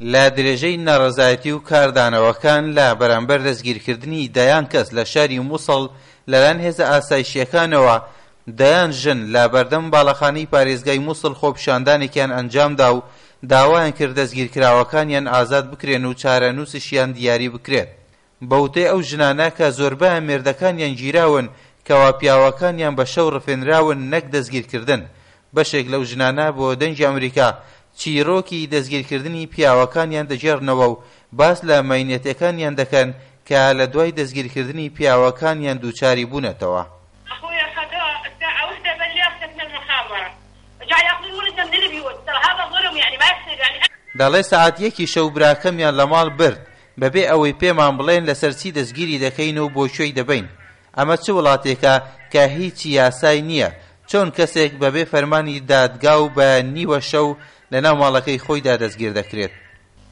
لە درێژەی ناڕەزایەتی و کاردانەوەکان لە بەرامبەر دەستگیرکردنی دەیان کەس لە شاری موسڵ لەلایەن هێزە ئاسایشییەکانەوە، دەیان ژن لە بەردەم باڵەخانەی پارێزگای موسڵ خۆپیشاندانێکیان ئەنجامدا و داوایان کرد دەستگیرکراوەکانیان ئازاد بکرێن و چارەنووسشیان دیاری بکرێت. بە وتەی ئەو ژنانە کە زۆربەیان مێردەکانیان گیراون کەوا پیاوەکانیان بە شەو ڕفێنراون نەک دەستگیرکردن. بەشێک لەو ژنانە بۆ دەنگی ئەمریکا چیرۆکی دەستگیرکردنی پیاوەکانیان دەگێڕنەوە و باس لە مەینەتەکانیان دەکەن کە لە دوای دەستگیرکردنی پیاوەکانیان دووچاری بوونەتەوە. دەڵێ سەعات یەکی شەو براکەمیان لە ماڵ برد بەبێ ئەوەی پێمان بڵێن لەسەر چی دەستگیری دەکەین و بۆ کوێی دەبەین. ئەمە چ وڵاتێکە کە هیچ یاسای نییە؟ چۆن کەسێک بەبێ فەرمانی دادگا و بە نیوە شەو لەناو ماڵەکەی خۆیدا دەستگیر دەکرێت؟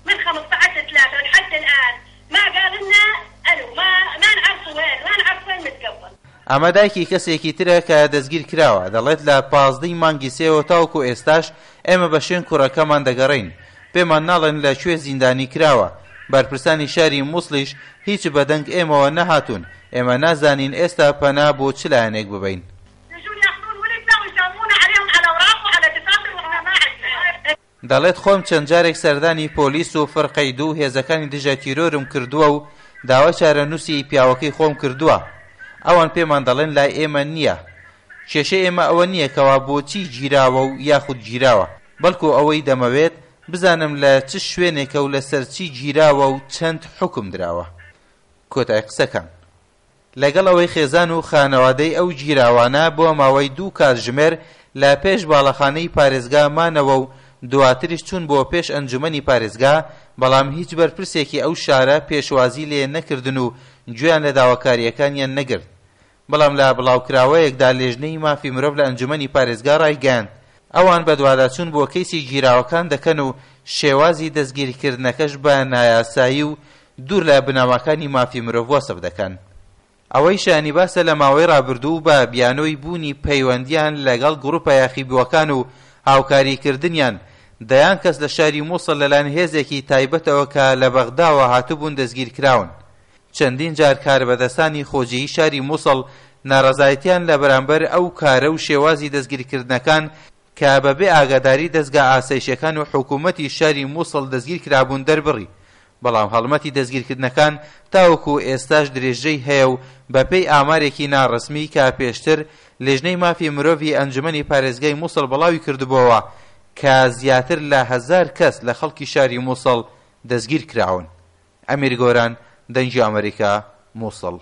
من 15 3 لحد الآن ما قال لنا الو ما ما نعرف وين ما نعرف وين متقبل. ئەمە دایکی کەسێکی ترە کە دەستگیر کراوە، دەڵێت لە 15 ی مانگی سێوە تاوەکو ئێستاش ئێمە بە شوێن کوڕەکەمان دەگەڕێین، پێمان ناڵێن لە کوێ زیندانی کراوە، بەرپرسانی شاری موسڵیش هیچ بە دەنگ ئێمەوە نەهاتوون، ئێمە نازانین ئێستا پەنا بۆ چ لایەنێک ببەین. دەڵێت خۆم چەند جارێک سەردانی پۆلیس و فرقەی دوو و هێزەکانی دژە تیرۆرم کردووە و داوای چارەنووسی پیاوەکەی خۆم کردووە، ئەوان پێمان دەڵێن لای ئێمە نییە. کێشەی ئێمە ئەوە نییە کەوا بۆچی گیراوە و یاخود گیراوە، بەڵکو ئەوەی دەمەوێت بزانم لە چ شوێنێکە و لەسەر چی گیراوە و چەند حوکم دراوە. کۆتای قسەکان. لەگەڵ ئەوەی خێزان و خانەوادەی ئەو گیراوانە بۆ ماوەی دوو کاتژمێر لە پێش باڵەخانەی پارێزگا مانەوە و دواتریش چوون بۆ پێش ئەنجومەنی پارێزگا، بەڵام هیچ بەرپرسێکی ئەو شارە پێشوازی لێ نەکردن و گوێیان لە داواکارییەکانیان نەگرت. بەڵام لە بڵاوکراوەیەکدا لێژنەی مافی مرۆڤ لە ئەنجومەنی پارێزگا ڕایگەیاند، ئەوان بەدواداچوون بۆ کەیسی گیراوەکان دەکەن و شێوازی دەستگیرکردنەکەش بە نایاسایی و دوور لە بنەماکانی مافی مرۆڤ وەسف دەکەن. ئەوەی شایانی باسە لە ماوەی ڕابردوو بە بیانۆی بوونی پەیوەندییان لەگەڵ گروپە یاخیبووەکان و هاوکاریکردنیان، دەیان کەس لە شاری موسڵ لەلایەن هێزێکی تایبەتەوە کە لە بەغداوە هاتبوون دەستگیرکراون. چەندین جار کاربەدەستانی خۆجێیی شاری موسڵ ناڕەزایەتیان لە بەرامبەر ئەو کارە و شێوازی دەستگیرکردنەکان کە بە بێ ئاگاداری دەزگا ئاسایشیەکان و حکومەتی شاری موسڵ دەستگیرکرابوون دەربڕی، بەڵام هەڵمەتی دەستگیرکردنەکان تاوەکو ئێستاش درێژەی هەیە و بەپێی ئامارێکی ناڕەسمی کە پێشتر لیژنەی مافی مرۆڤی ئەنجومەنی پارێزگای موسڵ بڵاویکردبۆوە کە زیاتر لە هەزار کەس لە خەڵکی شاری موسڵ دەستگیرکراون. ئەمیر گۆران، دەنگی ئەمەریکا، موسڵ.